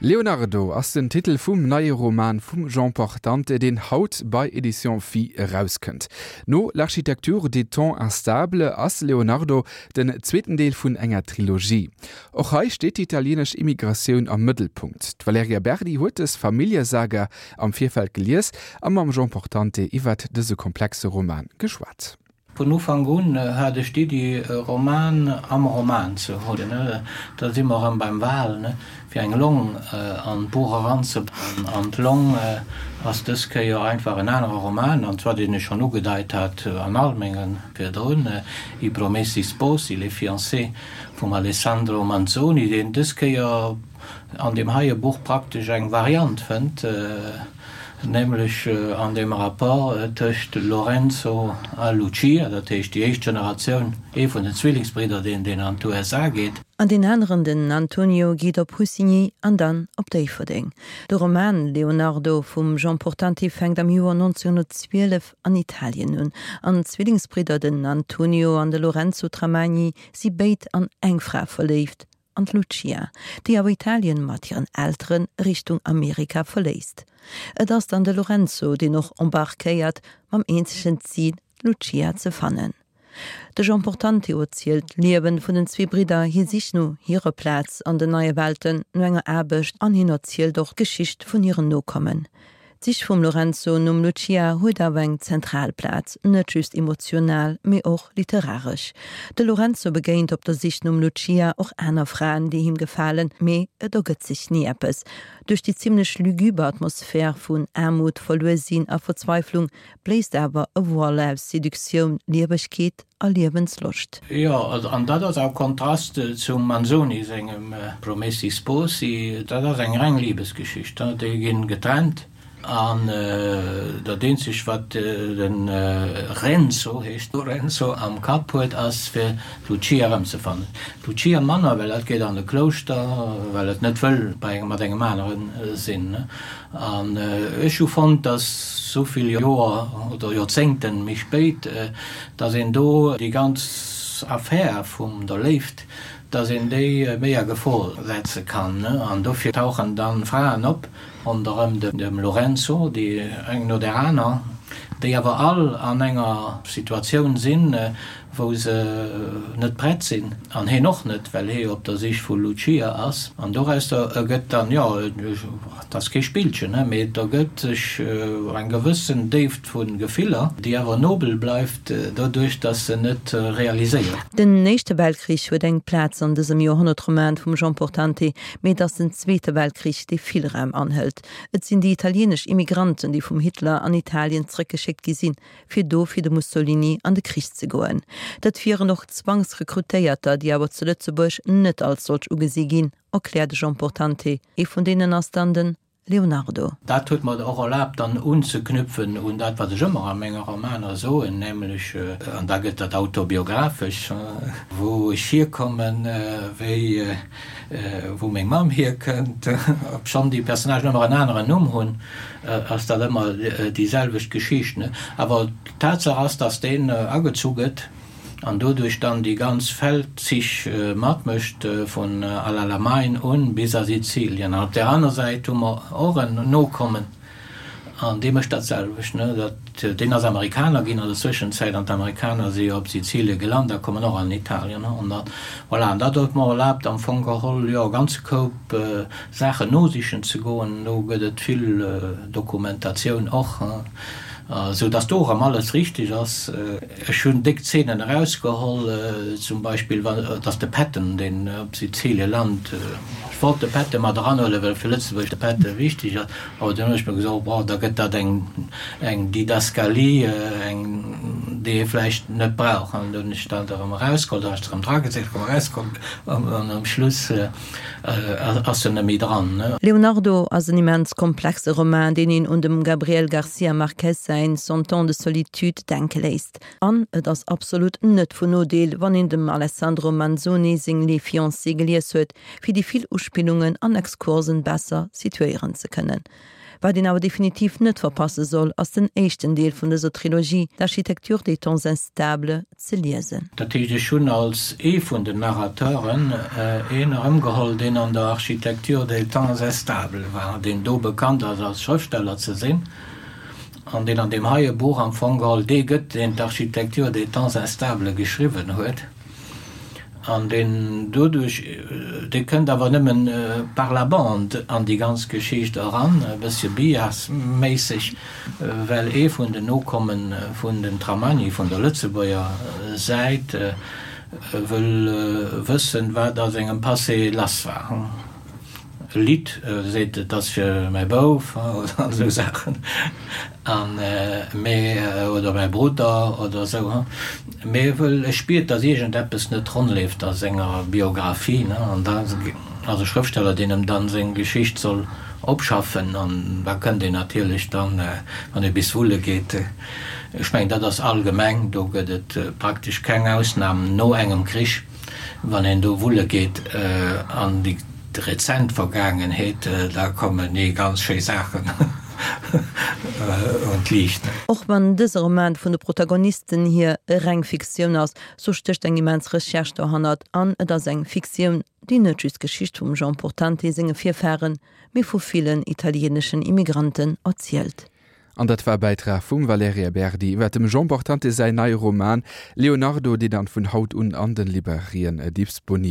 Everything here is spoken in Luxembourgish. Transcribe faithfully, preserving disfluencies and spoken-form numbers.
Leonardo ass den Titel vum neie Roman vum Jean Portante, deen haut bei Éditions Phi erauskënnt. No L'architecture des temps instables ass Leonardo den zweeten Deel vun enger Trilogie. Och hei steet d'italienesch Immigratioun am Mëttelpunkt. D'Valerija Berdi huet dës Familljesaga am Virfeld gelies a mam Jean Portante iwwert dëse komplexe Roman geschwat. Vun Ufank un hat ech d'Iddi, e Roman am Roman ze hunn. Da si mer erëm beim Wal, fir eng Long an d'Buch eranzebauen. An d'Long ass dës Kéier einfach en anere Roman, an zwar deen ech schonn ugedeit hat an all menge virdrun, I Promessi Sposi, Les Fiancés vum Alessandro Manzoni, deen dës Kéier an deem heie Buch praktesch eng Variant fënnt, nämlech an dem Rapport tëscht Lorenzo a Lucia, dat heescht déi éischt Generatioun, ee vun den Zwillingsbridder, deen deen an d'USA geet. An deen aneren, den Antonio, geet op Hussigny an dann op Déifferdeng. De Roman Leonardo vum Jean Portante fänkt am Joer nonzénhunnertzwielef an Italien un. An d'Zwillingsbridder, den Antonio an de Lorenzo Tramagni, si béid an eng Fra verléift, an d'Lucia, déi awer Italien mat hiren Eltere Richtung Amerika verléisst. Et ass dann de Lorenzo, deen och embarquéiert, mam eenzegen Zil, d'Lucia ze fannen. De Jean Portante erzielt d'Liewen vun den zwee Bridder, hir Sich no hirer Plaz an den neie Welten, no enger Aarbecht an hien erzielt och d'Geschicht vun hiren Nokommen. D'Sich vum Lorenzo nom Lucia huet awer eng zentral Plaz, net just emotional, mee och literaresch. De Lorenzo begéint op der Sich nom Lucia och aner Fraen, déi him gefalen, mee et ergëtt sech ni eppes. Duerch déi zimmlech luguber Atmosphär vun Aarmut, Verluer-Sinn a Verzweiflung bléist awer e Voile aus Seduktioun, Liewegkeet a Liewensloscht. Jo, an dat ass am Kontrast zum Manzoni sengem Promessi Sposi. Dat ass eng reng Libesgeschicht, déi ginn getrennt an dat eenzegt wat de Renzo, heescht Lorenzo, am Kapp huet ass fir d'Lucia erëmzefannen. D'Lucia manner, well dat geet an e Klouschter, well et net wëll bei engem mat engem anere sinn. An ech hu fonnt, dass esou vill Joer oder Joerzéngten méi spéit, dass een do déi ganz Affär vum der Léift, dass een déi méi a Gefor setze kann. An dofir tauchen dann Fraen op ronderëm dem Lorenzo, déi eng no där aner, déi awer all an enger Situatioun sinn, wou se net prett sinn, an heen och net, well hee op der Sich vu Lucia ass. An dorausser ergëtt dann, jo, et ass kee Spillchen, mee et ergëtt sech eng gewëssen Déift vu Gefiller, déi awer nobel bleift, doduerch datt se net realiséiert. Den Éischte Weltkrich huet eng Plaz an dësem Joerhonnertroman vum Jean Portante, mee et ass den Zweete Weltkrich, dee vill Raum anhëlt. Et sinn déi italieenesch Immigranten, déi vum Hitler an Italien zréckgeschéckt gi sinn, fir do fir de Mussolini an de Krich ze goen. Dat wieren och Zwangsrekrutéierter, déi awer zu Lëtzebuerg net als solch ugesi ginn, erkläert de Jean Portante. Ee vun deenen ass dann de Leonardo. Dat huet mer och erlaabt, dann unzeknüpfen un dat, wat ech ëmmer a menge Romaner soen, nämlech, an da gëtt dat autobiographesch, wou ech hierkommen, wéi wou meng Mamm hierkënnt, obschonn déi Personnagen ëmmer en aneren Numm hunn, ass dat ëmmer déi selwecht Geschicht. Awer d'Tatsaach ass, dass deen agezu gëtt an doduerch dann déi ganz Feldzich matmécht vun El Alamein un bis a Sizilien. An op där aner Säit hu mer och en Nokommen an dee mécht dat selwecht. Dat, deen ass Amerikaner ginn an der Zwëschenzäit an d'Amerikaner si jo op Sizilie gelant a kommen och an Italien. An dat, voilà, an dat huet mer erlaabt am Fong geholl, jo, e ganze Koup Saachen nosichen ze goen. Do gëtt et vill Dokumentatioun och, esou dass do erëm alles richteg ass. Ech hunn déck Zeenen erausgeholl, zum Beispill dass de Patton, deen op Sizilie lant, ech wollt de Patton mat eranhuelen, well fir Lëtzebuerg de Patton wichteg ass, awer dunn hunn ech mer gesot, bon, da gëtt dat eng eng Didaskalie, eng déi ee vläicht net brauch. An dunn hunn ech dat erëm erausgeholl, da hunn ech se erëm dragesat, erëm erausgeholl an um Schluss ass en net méi dran. Leonardo ass en immens komplexe Roman, deen een un dem Gabriel Garcia Marquez säin Cent ans de solitude denke léisst. An et ass absolut net vun Nodeel, wann een dem Alessandro Manzoni seng Les Fiancés gelies huet, fir déi vill Uspillungen an Exkursen besser situéieren ze kënnen. Wat een awer definitiv net verpasse soll, ass den éischten Deel vun dëser Trilogie, L'Architecture des temps instables, ze liesen. Dat heescht, ech hunn als ee vun den Narrateuren een erëmgeholl, deen an der Architecture des temps instables war, deen do bekannt ass als Schrëftsteller ze sinn, an deen an deem heie Buch am Fong geholl dee gëtt, deen d'Architecture des temps instables geschriwwen huet. An deen doduerch, dee kënnt awer nëmmen par la bande an déi ganz Geschicht eran, e bëssche biasméisseg, well ee vun den Nokomme vun den Tramani vun der Lëtzebuerger Säit wëll wëssen, wat a sengem Passé lass war. E Lidd seet, et ass fir mäi Bouf oder esou Saachen, an mee, oder mäi Brudder oder esou, mee e wëll, e spiert, datt iergendeppes net ronn leeft a senger Biographie, ne, an da ass e Schrëftsteller, deen em dann seng Geschicht soll opschaffen, an da kënnt een natierlech dann, wann ee bis wulle geet, ech mengen, dat ass allgemeng, do gëtt et praktesch keng Ausnam no engem Krich, wann een do wulle geet an déi rezent Vergaangenheet, da kommen ni ganz schéi Saachen un d'Liicht. Och wann dëse Roman vun de Protagonisten hier reng Fiktioun ass, sou stécht eng immens Recherche dohannert an et ass eng Fiktioun, déi net just d'Geschicht vum Jean Portante senge Virfaren, mee vu villen italieeneschen Immigranten erzielt. An dat war e Bäitrag vum Valerija Berdi iwwer dem Jean Portante säin neie Roman Leonardo, deen dann vun haut un an den Librairien disponibel